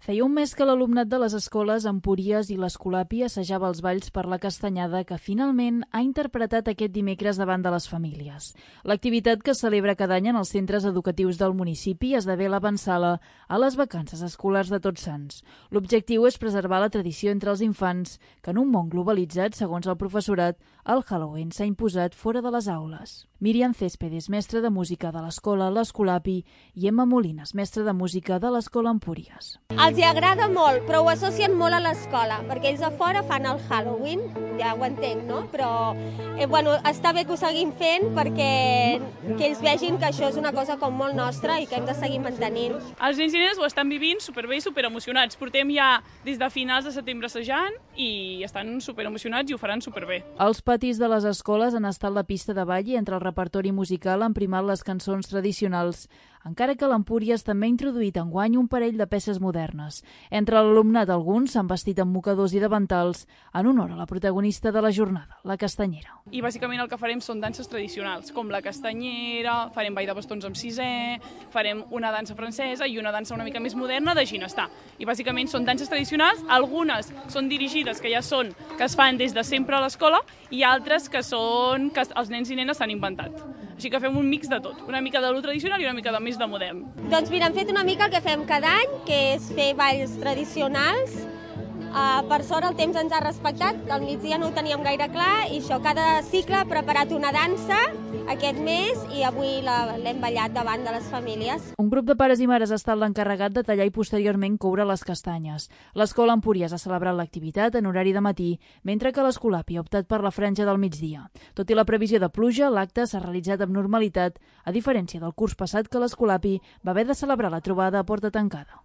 Feia un mes que l'alumnat de les escoles Empúries i l'Escolapi assajava els balls per la Castanyada que finalment ha interpretat aquest dimecres davant de les famílies. L'activitat que es celebra cada any en els centres educatius del municipi esdevé l'avançala a les vacances escolars de Tots Sants. L'objectiu és preservar la tradició entre els infants, que en un món globalitzat, segons el professorat, el Halloween s'ha imposat fora de les aules. Míriam Céspedes, mestra de música de l'escola L'Escolapi, i Emma Molines, mestra de música de l'escola Empúries. Els hi agrada molt, però ho associen molt a l'escola, perquè ells a fora fan el Halloween, ja ho entenc, no? Però està bé que ho seguim fent perquè que ells vegin que això és una cosa com molt nostra i que hem de seguir mantenint. Els nens i nenes ho estan vivint superbé i superemocionats. Portem ja des de finals de setembre assajant i estan superemocionats i ho faran superbé. Els patis de les escoles han estat la pista de ball i entre el repertori musical han primat les cançons tradicionals, encara que l'Empúries també ha introduït enguany un parell de peces modernes. Entre l'alumnat alguns s'han vestit amb mocadors i davantals en honor a la protagonista de la jornada, la castanyera. I bàsicament el que farem són danses tradicionals, com la castanyera, farem ball de bastons amb sisè, farem una dansa francesa i una dansa una mica més moderna de ginestar. I bàsicament són danses tradicionals, algunes són dirigides, que es fan des de sempre a l'escola, i altres que els nens i nenes s'han inventat. Així que fem un mix de tot, una mica de lo tradicional i una mica de més de modern. Doncs mira, hem fet una mica el que fem cada any, que és fer balls tradicionals. Per sort el temps ens ha respectat, al migdia no ho teníem gaire clar i això, cada cicle ha preparat una dansa aquest mes i avui l'hem ballat davant de les famílies. Un grup de pares i mares ha estat l'encarregat de tallar i posteriorment coure les castanyes. L'escola Empúries ha celebrat l'activitat en horari de matí, mentre que l'Escolapi ha optat per la franja del migdia. Tot i la previsió de pluja, l'acte s'ha realitzat amb normalitat, a diferència del curs passat que l'Escolapi va haver de celebrar la trobada a porta tancada.